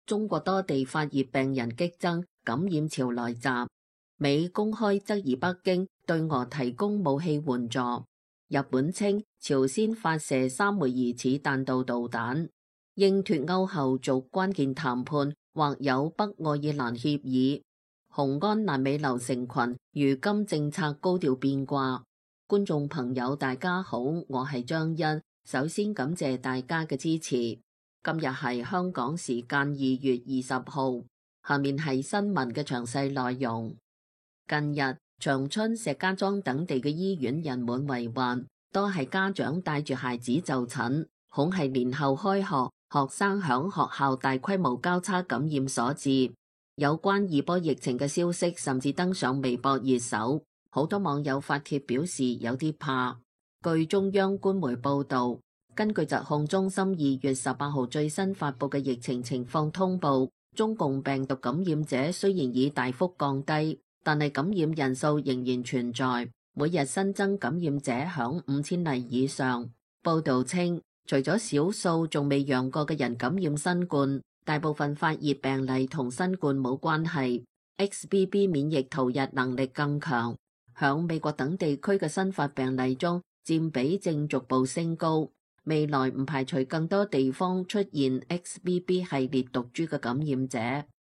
中國多地發熱病人激增，感染潮來襲。美公開質疑北京對俄提供武器援助。日本稱朝鮮發射3枚疑似彈道導彈。英脫歐後續關鍵談判或有北愛爾蘭協議。雄安爛尾樓成群，如今政策高調變卦。觀眾朋友大家好，我係張欣，首先感謝大家嘅支持。今日係香港時間2月20號，下面係新聞嘅詳細內容。近日，長春、石家莊等地嘅醫院人滿為患，多係家長帶住孩子就診，恐係年後開學，學生響學校大規模交叉感染所致。有關二波疫情嘅消息甚至登上微博熱搜，好多網友發帖表示有啲怕。據中央官媒報道，根據疾控中心2月18號最新發佈嘅疫情情況通報，中共病毒感染者雖然已大幅降低，但係感染人數仍然存在，每日新增感染者響5000例以上。報道稱，除咗少數仲未陽過嘅人感染新冠，大部分發熱病例同新冠冇關係。XBB 免疫逃逸能力更強，響美國等地區嘅新發病例中佔比正逐步升高。未來唔排除更多地方出現 XBB 系列毒株嘅感染者，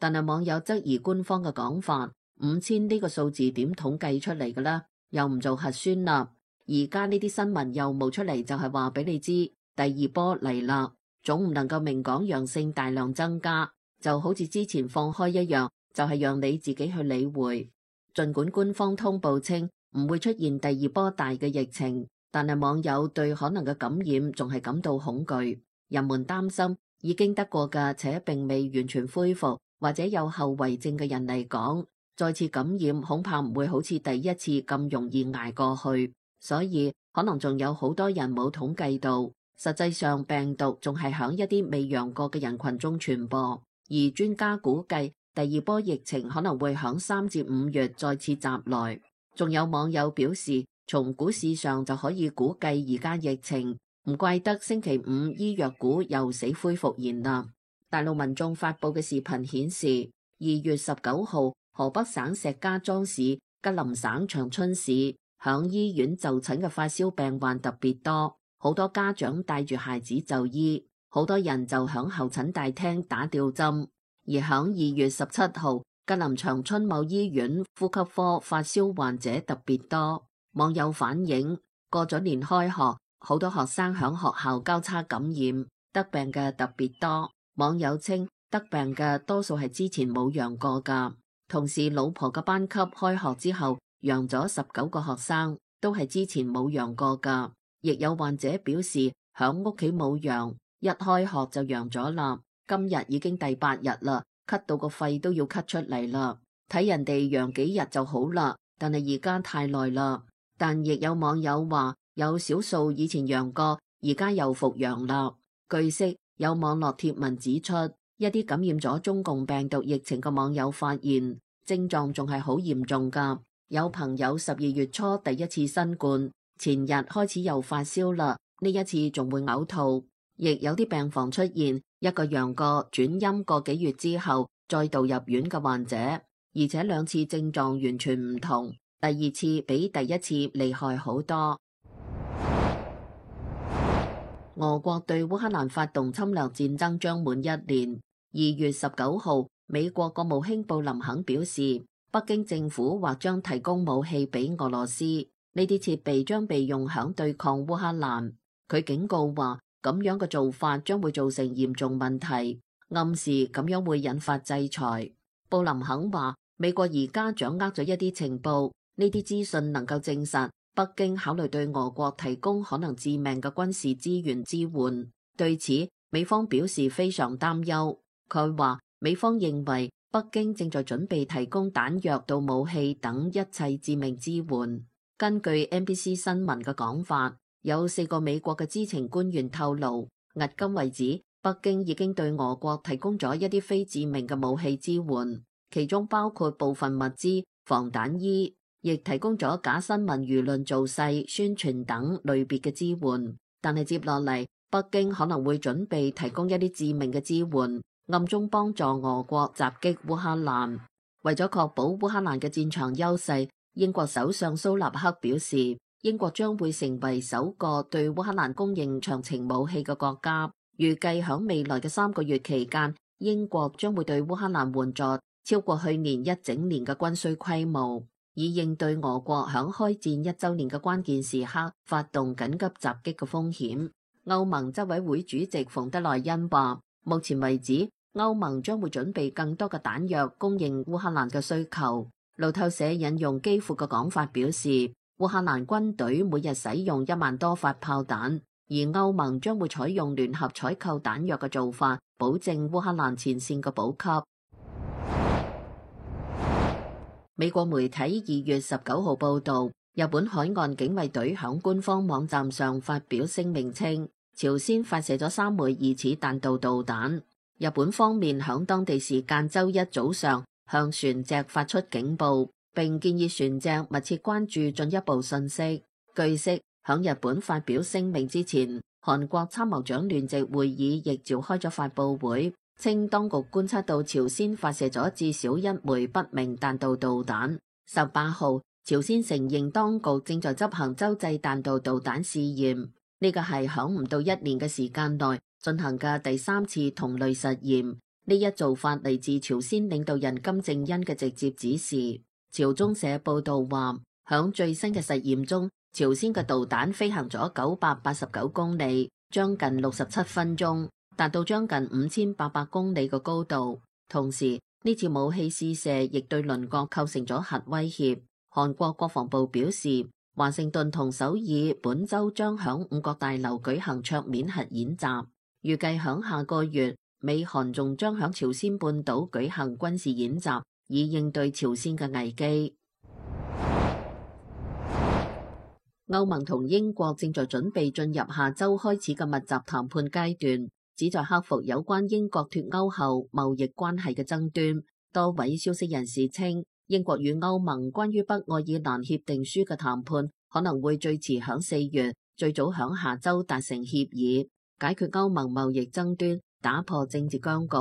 但係網友質疑官方嘅講法，5000呢個數字點統計出嚟嘅啦？又唔做核酸啦？而家呢啲新聞又冒出嚟，就係話俾你知第二波嚟啦，總唔能夠明講陽性大量增加，就好似之前放開一樣，就係讓你自己去理會。儘管官方通報稱唔會出現第二波大嘅疫情，但係網友對可能嘅感染仲係感到恐懼，人們擔心已經得過嘅且並未完全恢復或者有後遺症嘅人嚟講，再次感染恐怕唔會好似第一次咁容易捱過去，所以可能仲有好多人冇統計到，實際上病毒仲係響一啲未陽過嘅人群中傳播，而專家估計第二波疫情可能會響3至5月再次襲來。仲有網友表示，從股市上就可以估計而家疫情，唔怪得星期五醫藥股又死灰復燃啦。大陸民眾發佈嘅視頻顯示，2月19號河北省石家莊市、吉林省長春市響醫院就診嘅發燒病患特別多，好多家長帶住孩子就醫，好多人就響候診大廳打吊針。而響2月17號，吉林長春某醫院呼吸科發燒患者特別多。網友反映，過咗年開學，好多學生響學校交叉感染，得病嘅特別多。網友稱，得病嘅多數係之前冇陽過噶。同時，老婆嘅班級開學之後，陽咗19個學生，都係之前冇陽過噶。亦有患者表示，響屋企冇陽，一開學就陽咗啦。今日已經第8日啦，咳到個肺都要咳出嚟啦。睇人哋陽幾日就好啦，但係而家太耐啦。但亦有網友話，有少數以前陽過，而家又復陽啦。據悉，有網絡貼文指出，一啲感染咗中共病毒疫情嘅網友發現，症狀仲係好嚴重噶。有朋友12月初第一次新冠，前日開始又發燒啦，呢一次仲會嘔吐。亦有啲病房出現一個陽過轉陰個幾月之後再度入院嘅患者，而且兩次症狀完全唔同。第二次比第一次厲害好多。俄國對烏克蘭發動侵略戰爭將滿1年。2月19號，美國國務卿布林肯表示，北京政府或將提供武器俾俄羅斯，呢啲設備將被用響對抗烏克蘭。佢警告話，咁樣嘅做法將會造成嚴重問題，暗示咁樣會引發制裁。布林肯話，美國而家掌握咗一啲情報。呢啲資訊能夠證實北京考慮對俄國提供可能致命嘅軍事資源支援。對此，美方表示非常擔憂。佢話，美方認為北京正在準備提供彈藥到武器等一切致命支援。根據 NBC 新聞嘅講法，有4個美國嘅知情官員透露，迄今為止，北京已經對俄國提供咗一啲非致命嘅武器支援，其中包括部分物資、防彈衣。亦提供咗假新聞、輿論造勢、宣傳等類別嘅支援，但係接落嚟北京可能會準備提供一啲致命嘅支援，暗中幫助俄國襲擊烏克蘭。為咗確保烏克蘭嘅戰場優勢，英國首相蘇納克表示，英國將會成為首個對烏克蘭供應長程武器嘅國家。預計響未來嘅3個月期間，英國將會對烏克蘭援助超過去年一整年嘅軍需規模，以應對俄國響開戰1週年嘅關鍵時刻發動緊急襲擊嘅風險。歐盟執委會主席馮德萊恩話，目前為止，歐盟將會準備更多嘅彈藥供應烏克蘭嘅需求。路透社引用基輔嘅講法表示，烏克蘭軍隊每日使用1萬多發炮彈，而歐盟將會採用聯合採購彈藥嘅做法，保證烏克蘭前線嘅補給。美國媒體2月19號報導，日本海岸警衛隊響官方網站上發表聲明稱，朝鮮發射咗3枚疑似彈道導彈。日本方面響當地時間週一早上向船隻發出警報，並建議船隻密切關注進一步信息。據悉，響日本發表聲明之前，韓國參謀長聯席會議亦召開咗發佈會，稱當局觀察到朝鮮發射咗至少1枚不明彈道導彈。18號，朝鮮承認當局正在執行洲際彈道導彈試驗，呢個係響唔到1年嘅時間內進行嘅第3次同類實驗。呢一做法嚟自朝鮮領導人金正恩嘅直接指示。朝中社報道話，響最新嘅實驗中，朝鮮嘅導彈飛行咗989公里，將近67分鐘，達到將近5800公里嘅高度。同時，呢次武器試射亦對鄰國構成咗核威脅。韓國國防部表示，華盛頓同首爾本週將響5角大樓舉行桌面核演習，預計響下個月，美韓仲將響朝鮮半島舉行軍事演習，以應對朝鮮嘅危機。歐盟同英國正在準備進入下週開始嘅密集談判階段，旨在克服有關英國脫歐後貿易關係嘅爭端。多位消息人士稱，英國與歐盟關於北愛爾蘭協定書嘅談判可能會最遲響4月，最早響下週達成協議，解決歐盟貿易爭端，打破政治僵局。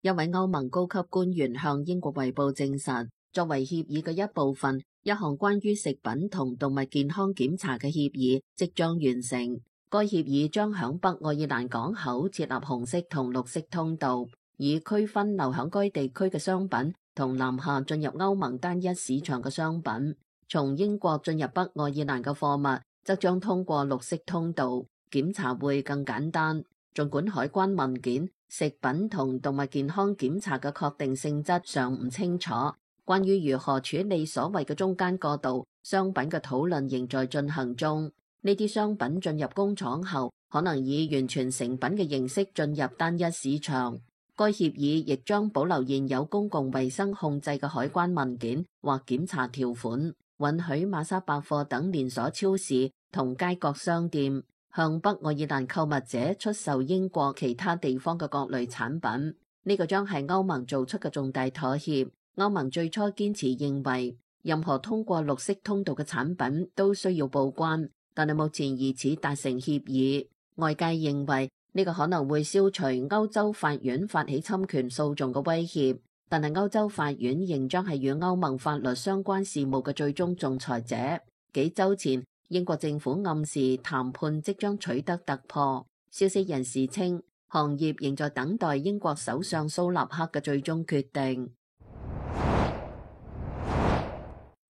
一位歐盟高級官員向英國衛報證實，作為協議嘅一部分，一項關於食品同動物健康檢查嘅協議即將完成。該協議將響北愛爾蘭港口設立紅色同綠色通道，以區分流響該地區嘅商品同南下進入歐盟單一市場嘅商品。從英國進入北愛爾蘭嘅貨物則將通過綠色通道，檢查會更簡單。儘管海關文件、食品同動物健康檢查嘅確定性質尚唔清楚，關於如何處理所謂嘅中間過渡商品嘅討論仍在進行中。呢啲商品進入工廠後，可能以完全成品嘅形式進入單一市場。該協議亦將保留現有公共衛生控制嘅海關文件或檢查條款，允許瑪莎百貨等連鎖超市同街角商店向北愛爾蘭購物者出售英國其他地方嘅各類產品。呢個將係歐盟做出嘅重大妥協。歐盟最初堅持認為，任何通過綠色通道嘅產品都需要報關，但係目前疑似達成協議。外界認為呢個可能會消除歐洲法院發起侵權訴訟嘅威脅，但係歐洲法院仍將係與歐盟法律相關事務嘅最終仲裁者。幾週前，英國政府暗示談判即將取得突破。消息人士稱，行業仍在等待英國首相蘇納克嘅最終決定。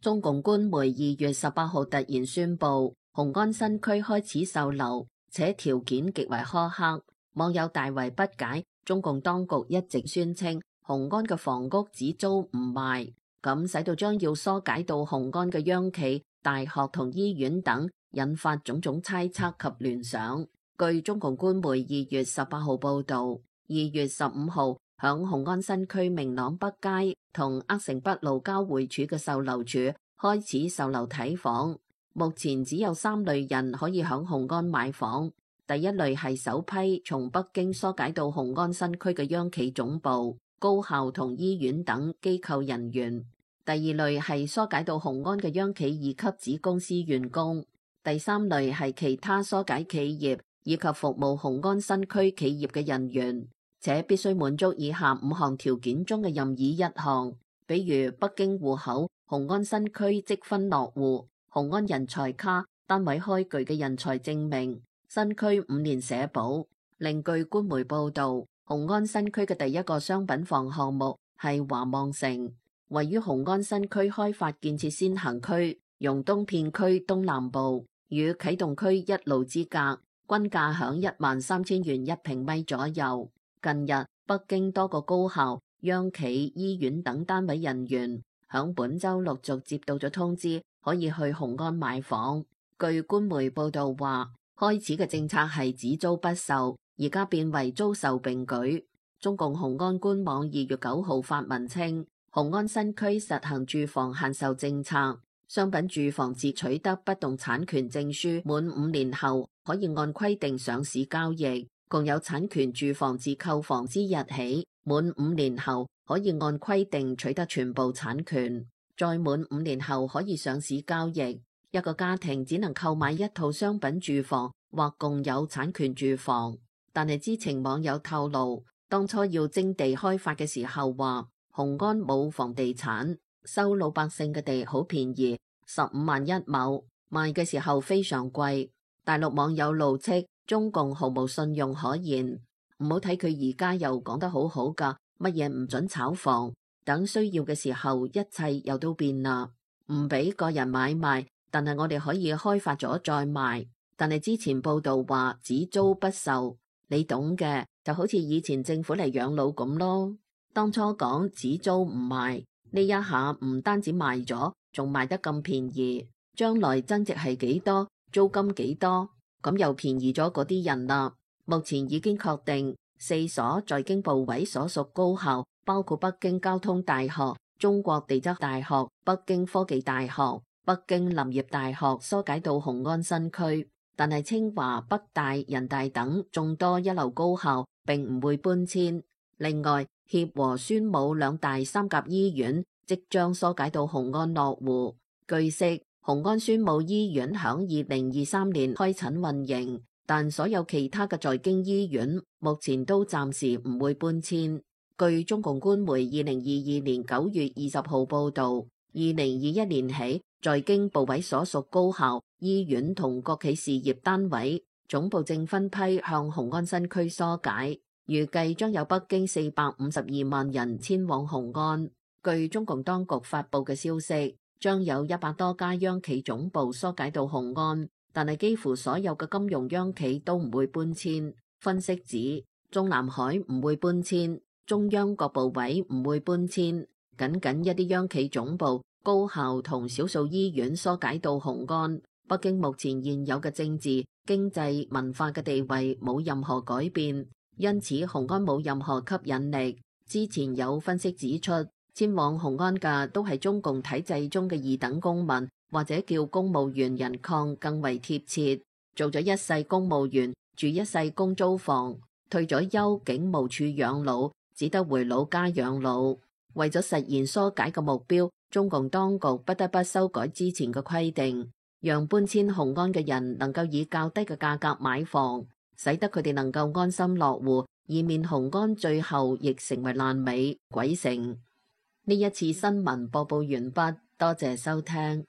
中共官媒2月18號突然宣布，雄安新區開始售樓，且條件極為苛刻。網友大為不解，中共當局一直宣稱雄安嘅房屋只租唔賣，咁使到將要疏解到雄安嘅央企、大學同醫院等，引發種種猜測及聯想。據中共官媒2月18號報導，2月15號響雄安新區明朗北街同鄂城北路交匯處嘅售樓處開始售樓睇房。目前只有3類人可以響雄安買房。第一類係首批從北京疏解到雄安新區嘅央企總部、高校同醫院等機構人員。第二類係疏解到雄安嘅央企2級子公司員工。第三類係其他疏解企業以及服務雄安新區企業嘅人員，且必須滿足以下5項條件中嘅任意1項，比如北京戶口、雄安新區積分落戶、雄安人才卡、單位開具嘅人才證明、新區5年社保。另據官媒報導，雄安新區嘅第一個商品房項目係華望城，位於雄安新區開發建設先行區容東片區東南部，與啟動區一路之隔，均價響13,000元1平米左右。近日，北京多個高校、央企、醫院等單位人員響本週陸續接到咗通知，可以去雄安買房。據官媒報導話，開始嘅政策係只租不售，而家變為租售並舉。中共雄安官網2月9號發文稱，雄安新區實行住房限售政策，商品住房自取得不動產權證書滿5年後，可以按規定上市交易。共有產權住房自購房之日起，滿5年後可以按規定取得全部產權，再滿5年後可以上市交易。一個家庭只能購買1套商品住房或共有產權住房。但係知情網友透露，當初要徵地開發嘅時候話，雄安冇房地產，收老百姓嘅地好便宜，15萬1畝，賣嘅時候非常貴。大陸網友怒斥中共毫無信用可言，唔好睇佢而家又講得好好㗎，乜嘢唔准炒房，等需要嘅時候一切又都變啦，唔俾個人買賣，但係我哋可以開發咗再賣。但係之前報道話只租不售，你懂嘅，就好似以前政府嚟養老咁咯。當初講只租唔賣，呢一下唔單止賣咗，仲賣得咁便宜，將來增值係幾多，租金幾多？咁又便宜咗嗰啲人啦。目前已經確定4所在京部委所屬高校，包括北京交通大學、中國地質大學、北京科技大學、北京林業大學疏解到雄安新區，但係清華、北大、人大等眾多一流高校並唔會搬遷。另外，協和宣武2大3甲醫院即將疏解到雄安落戶。據悉，雄安宣武醫院響2023年開診運營，但所有其他嘅在京醫院目前都暫時唔會搬遷。據中共官媒2022年9月20號報導，2021年起，在京部委所屬高校、醫院同國企事業單位總部正分批向雄安新區疏解，預計將有北京452萬人遷往雄安。據中共當局發布嘅消息，將有100多家央企總部疏解到雄安，但係幾乎所有嘅金融央企都唔會搬遷。分析指，中南海唔會搬遷，中央各部委唔會搬遷，僅僅一啲央企總部、高校同少數醫院疏解到雄安。北京目前現有嘅政治、經濟、文化嘅地位冇任何改變，因此雄安冇任何吸引力。之前有分析指出，遷往雄安嘅都係中共體制中嘅2等公民，或者叫公務員人抗更為貼切。做咗一世公務員，住一世公租房，退咗休警務處養老，只得回老家養老。為咗實現疏解嘅目標，中共當局不得不修改之前嘅規定，讓搬遷雄安嘅人能夠以較低嘅價格買房，使得佢哋能夠安心落戶，以免雄安最後亦成為爛尾鬼城。呢一次新聞播報完畢，多謝收聽。